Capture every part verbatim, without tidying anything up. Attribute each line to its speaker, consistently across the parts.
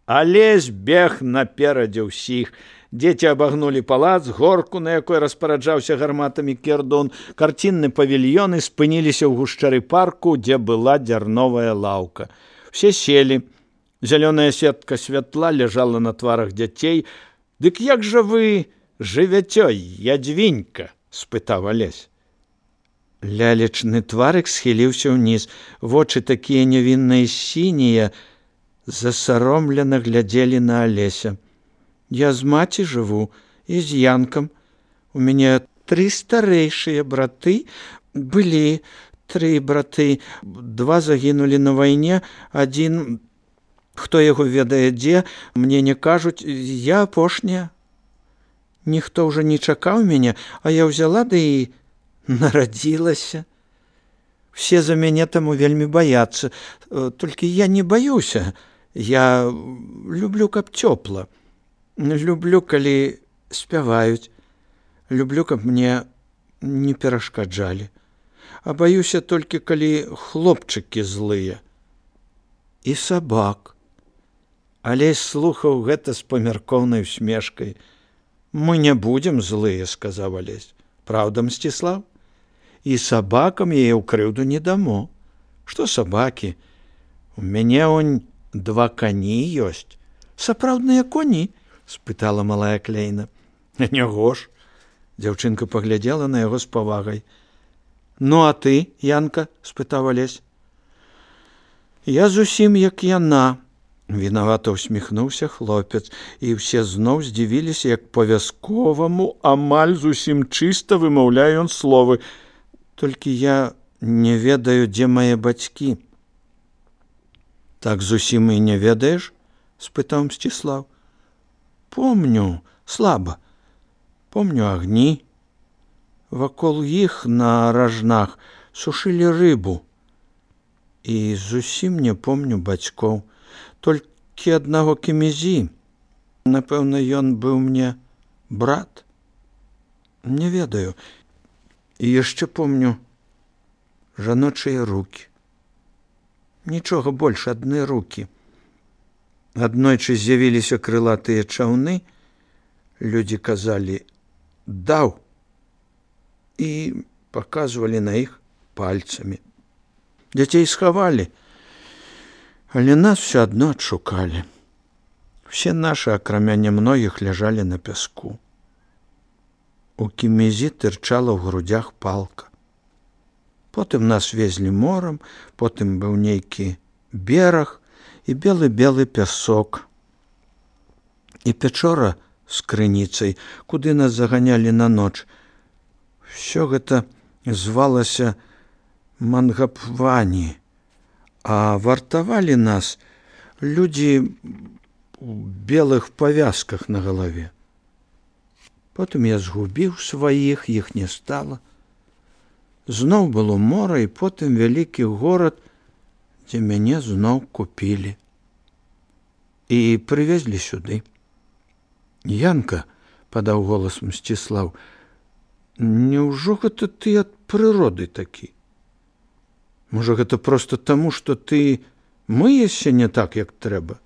Speaker 1: Алесь бег наперадзе ўсіх. Дзеці абагнулі палац, горку, на якой распараджаўся гарматамі Кердон. Карцінны павільёны спыніліся ў гушчары парку, дзе была дзярновая лаўка. Все селі. Зялёная сетка святла ляжала на тварах дзяцей. «Дык як жа вы жывяцё, ядзвінька?» – спытаў Алесь. Лялечны тварык схіліўся ўніз. Вочы такія нявінныя сінія засаромлена глядзелі на Алеся. «Я з маці жыву і з Янкам. У мяне тры старэйшыя браты. Былі тры браты. Два загінулі на вайне. Адзін, хто яго ведае дзе, мне не кажуць. Я апошняя. Ніхто ўжо не чакаў мяне, а я ўзяла ды і нарадзілася. Все за мяне таму вельмі баяцца. Толькі я не баюся. Я люблю, каб цёпла. Люблю, калі спяваюць. Люблю, каб мне не перашкаджалі. А баюся толькі, калі хлопчыкі злыя. І сабак». Алесь слухаў гэта з памяркоўнай усмешкай. «Мы не будзем злыя», – сказаў Алесь. «Праўда, Мсціслаў? І сабакам яе ў крыўду не дамо. Што сабакі? У мяне онь два кані ёсць». «Сапраўдныя коні?» – спытала малая Клейна. «Няго ж». Дзяўчынка паглядзела на яго з павагай. «Ну, а ты, Янка?» – спытаў Алесь. «Я зусім як яна», – вінавата усміхнуўся хлопец, і ўсе зноў здзівіліся, як па-вясковаму амаль зусім чыста вымаўляе ён словы. «Толькі я не ведаю, дзе мае бацькі». «Так зусім і не ведаеш?» – спытаў Мсціслаў. «Помню, слаба. Помню агні. Вакол іх на ражнах сушылі рыбу. І зусім не помню бацькоў. Толькі аднаго Кемезі. Напэўна, ён быў мне брат. Не ведаю. І яшчэ помню жаночыя рукі. Нічога больш, адны рукі. Аднойчы з'явіліся крылатыя чаўны. Людзі казалі «даў» і паказвалі на іх пальцамі. Дзяцей схавалі, але нас все адно адшукалі. Все нашы, акрамя немногіх, ляжалі на пяску. У Кемезі тырчала ў грудзях палка. Потым нас везлі морам, потым быў нейкі бераг і белы-белы пясок. І пячора з крыніцай, куды нас заганялі на ноч. Всё гэта звалася Мангапвані, а вартавалі нас людзі у белых павязках на галаве. Потым я згубіў сваіх, іх не стала. Зноў было мора, і потым вялікі горад, дзе мяне зноў купілі. І прывезлі сюды. «Янка», – падаў голас Мсціслаў, – «няўжо гэта ты ад прыроды такі? Можа, гэта проста таму, што ты мыешся не так, як трэба?»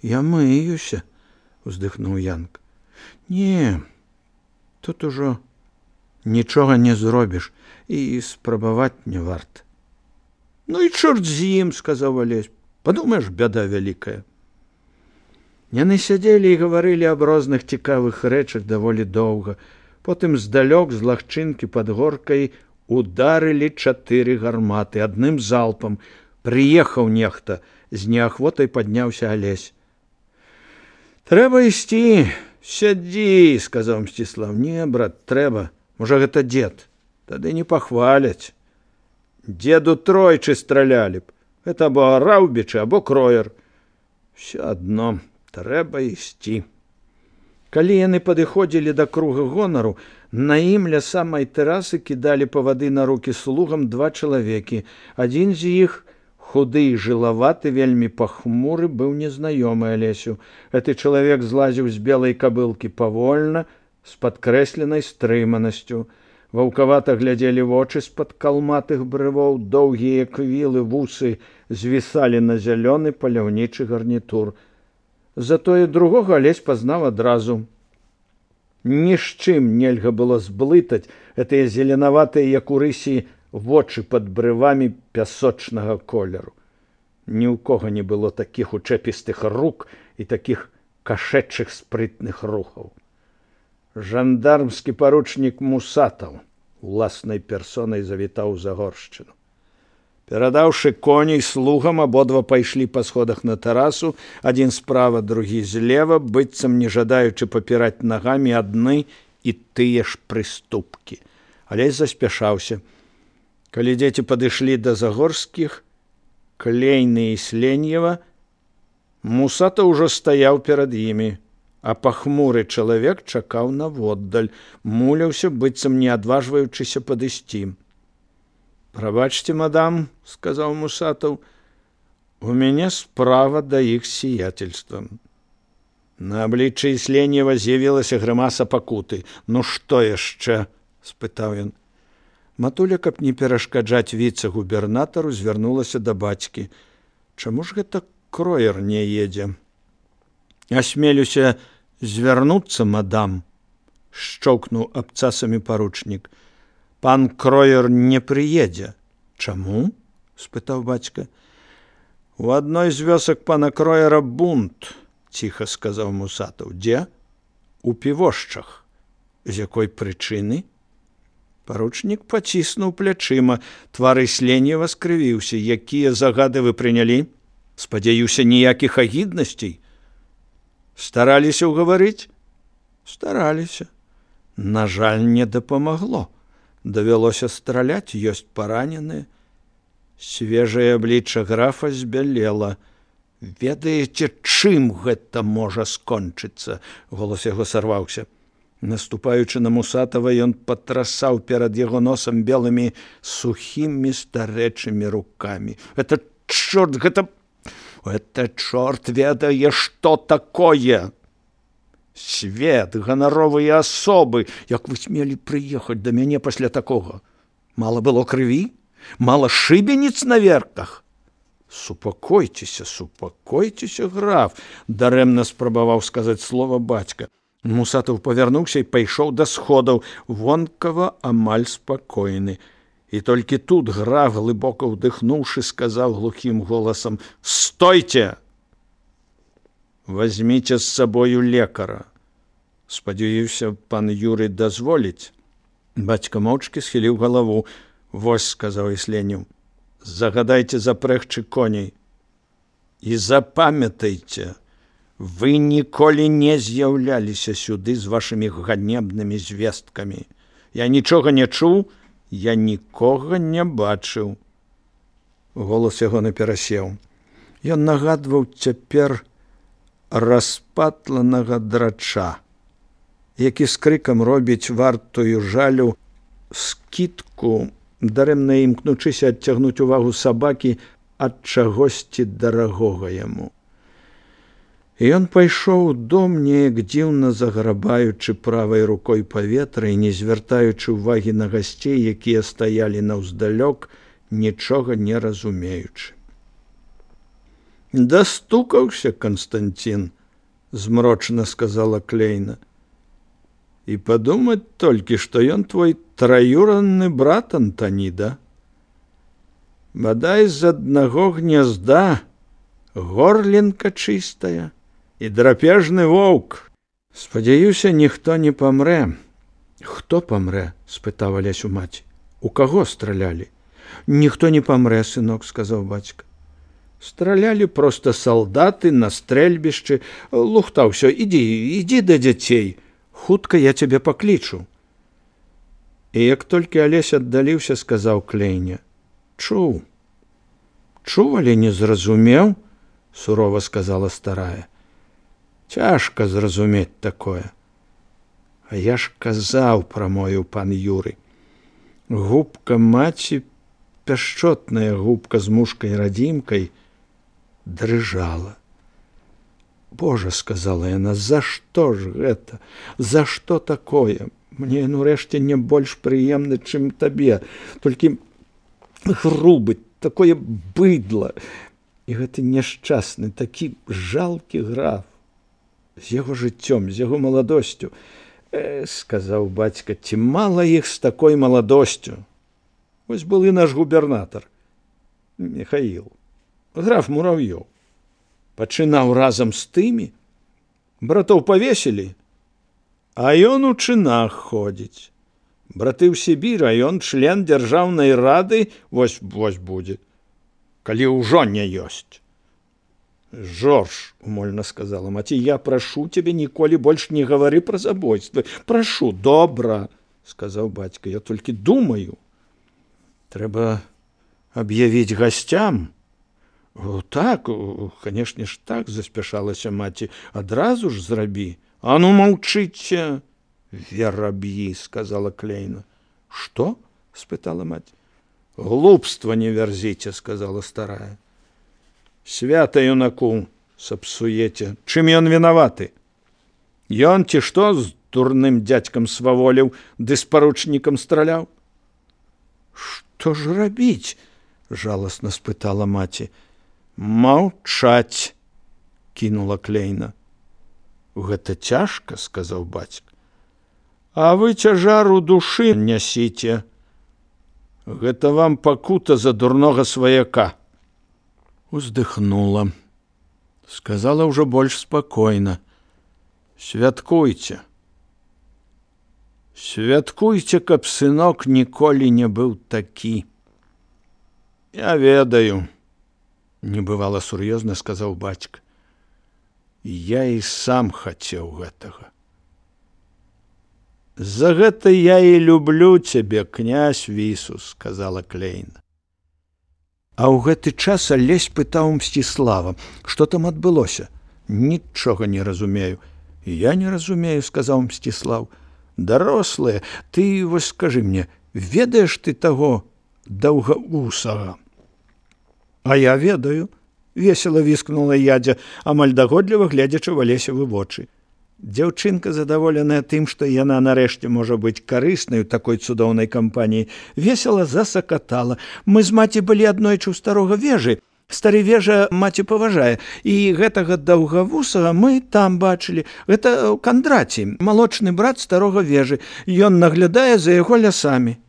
Speaker 1: «Я мыюся», – уздыхнуў Янка. «Не, тут ужо нічога не зробіш, і спрабаваць не варта». «Ну і чорт з ім», – сказаў Алесь. «Падумаеш, бяда вялікая». Яны сядзелі і гаварылі аб розных цікавых рэчах даволі доўга. Потым здалёк з лагчынкі пад горкай ударылі чатыры гарматы адным залпам. Прыехаў нехта, з неахвотай падняўся Алесь. «Трэба ісці, сядзі», – сказаў Мсціслаў. «Не, брат, трэба. Можа, гэта дзед. Тады не пахваляць. Дзеду тройчы стралялі б. Гэта або Раўбічы, або Кроер. Всё адно. Трэба ісці». Калі яны падыходзілі да круга гонару, на ім ля самай тэрасы кідалі павады на рукі слугам два чалавекі. Адзін з іх, худы і жылаваты, вельмі пахмуры, быў незнаёмы Алесю. Гэты чалавек злазіў з белай кабылкі павольна, з падкрэсленай стрыманасцю. Ваўкавата глядзелі вочы з-пад калматых брывоў, доўгія квілы, вусы звісалі на зялёны паляўнічы гарнітур. Затое другога Алесь пазнаў адразу. Ні з чым нельга было зблытаць гэтыя зеленаватыя, як у рысі, вочы пад брывамі пясочнага колеру. Ні ў кога не было такіх учэпістых рук і такіх кашэчых спрытных рухаў. Жандармскі паручнік Мусатаў уласнай персонай завітаў у Загоршчыну. Перадаўшы коней слугам, абодва пайшлі па сходах на тэрасу, адзін справа, другі злева, быццам не жадаючы папіраць нагамі адны і тыя ж прыступкі. Алесь заспяшаўся. Калі дзеці падышлі да Загорскіх, Клейны і Сленьева, Мусата ўжо стаяў перад імі, а пахмуры чалавек чакаў наводдаль, муляўся, быццам не адважваючыся падысці. «Прабачце, мадам», — сказаў Мусатаў, — «у мяне справа да іх сиятельства». На абліччы Сленьева з'явілася грымаса пакуты. «Ну што яшчэ?» — спытаў ён. Матуля, каб не перашкаджаць віцэ-губернатару, звярнулася да бацькі. «Чаму ж гэта Кроер не едзе?» «Асмелюся звярнуцца, мадам», — шчоўкнуў абцасамі паручнік. «Пан Кроер не прыедзе». «Чаму?» — спытаў бацька. «У адной з вёсак пана Кроера бунт», — ціха сказаў Мусатаў. «Дзе?» «У Півошчах». «З якой прычыны?» Паручнік паціснуў плячыма. Твар Сленьева скрывіўся. «Якія загады вы прынялі? Спадзяюся, ніякіх агіднасцей?» «Стараліся ўгаварыць?» «Стараліся. На жаль, не дапамагло. Давялося страляць, ёсць параненыя». Свежае аблічча графа збялела. «Ведаеце, чым гэта можа скончыцца?» Голас яго сарваўся. Наступаючы на Мусатава, ён патрасаў перад яго носам белымі сухімі старэчымі рукамі. «Гэта чорт, гэта... гэта чорт ведае, што такое! Свет, ганаровыя асобы, як вы смелі прыехаць да мяне пасля такога? Мала было крыві? Мала шыбеніц на верках?» «Супакойцеся, супакойцеся, граф», — дарэмна спрабаваў сказаць слова бацька. Мусатаў павярнуўся і пайшоў да сходаў, вонкава амаль спакойны. І толькі тут граф, глыбока ўдыхнуўшы, сказаў глухім голасам: «Стойце! Возьміце з сабою лекара. Спадзяюся, пан Юрый дазволіць». Бацька моўчкі схіліў галаву. «Вось», — сказаў Сленьев, — «загадайце запрэгчы коней. І запамятайце, вы ніколі не з'яўляліся сюды з вашымі ганебнымі звесткамі. Я нічога не чуў, я нікога не бачыў». Голас яго наперасеў. Ён нагадваў цяпер распатланага драча, які з крыкам робіць вартую жалю скідку, дарэмна імкнучыся адцягнуць увагу сабакі ад чагосьці дарагога яму. І ён пайшоў у дом, неяк дзіўна заграбаючы правай рукой паветра і не звяртаючы ўвагі на гасцей, якія стаялі наўздалёк, нічога не разумеючы. «Дастукаўся, Константин», — змрочна сказала Клейна. «І падумаць толькі, што ён твой траюранны брат Антаніда. Бадай з аднаго гнязда, горлінка чыстая і драпежны воўк. Спадзяюся, ніхто не памрэ». «Хто памрэ?» — спытаў Алесь у маці. «У каго стралялі?» «Ніхто не памрэ, сынок», — сказаў бацька. «Стралялі проста салдаты на стрэльбішчы. Лухта ўсё, ідзі, ідзі да дзяцей. Хутка я цябе паклічу». І як толькі Алесь аддаліўся, сказаў Клейне: «Чуў». «Чуў, але не зразумеў», — сурова сказала старая. «Цяжка зразумець такое. А я ж казаў, прамовіў пан Юрый. Губка маці, пяшчотная губка з мушкай-радзімкай, дрыжала. «Божа», — сказала яна, — «за што ж гэта? За што такое? Мне, ну, рэшце, не больш прыемны, чым табе. Толькі грубы, такое быдла. І гэты няшчасны, такі жалкі граф. з яго жыццём, з яго маладосцю. Э, сказаў бацька, ці мала іх з такой маладосцю. Вось былы наш губернатар Михаил, граф Муравьёў. Пачынаў разам з тымі, братоў павесілі, а ён у чынах ходзіць. Браты ў Сібір, а ён член дзяржаўнай рады, вось, вось будзе, калі ўжо не ёсць. Жорж, умольна сказала маці, я прашу цябе, ніколі больш не гавары пра забойствы. Прашу, добра, сказаў бацька, я толькі думаю. Трэба аб'явіць гасцям. О, так, канешне ж так, заспяшалася маці, адразу ж зрабі. А ну маўчыце, вераб'і, сказала Клейна. Што? спытала маці. Глупства не вярзіце, сказала старая. Свята юнаку сапсуеце. Чым ён вінаваты? Ён ці што з дурным дзядзькам сваволіў, ды з паручнікам страляў? Што ж рабіць? Жаласна спытала маці. Маўчаць, кінула Клейна. Гэта цяжка, сказаў бацька. А вы цяжар у душы нясіце. Гэта вам пакута за дурнога сваяка. Уздыхнула. Сказала ўжо больш спакойна. Святкуйце. Святкуйце, каб сынок ніколі не быў такі. Я ведаю, небывала сур'ёзна сказаў бацька. Я і сам хацеў гэтага. За гэта я і люблю цябе, князь Вісус, сказала Клейна. А ў гэты час Алесь пытаў Мсціслава, што там адбылося. Нічога не разумею. Я не разумею, сказаў Мсціслав. Дарослыя, ты вось скажы мне, ведаеш ты таго даўгавусага? А я ведаю, весела віскнула ядзя, амаль дагодліва гледзячы в Алесевы вочы. Дзяўчынка, задаволеная тым, што яна нарэшце можа быць карыснай у такой цудоўнай кампаніі, весела засакатала. Мы з маці былі аднойчы ў старога вежы. Стары вежа маці паважае, і гэтага даўгавусага мы там бачылі. Гэта Кандраці, малочны брат старога вежы. Ён наглядае за яго лясамі.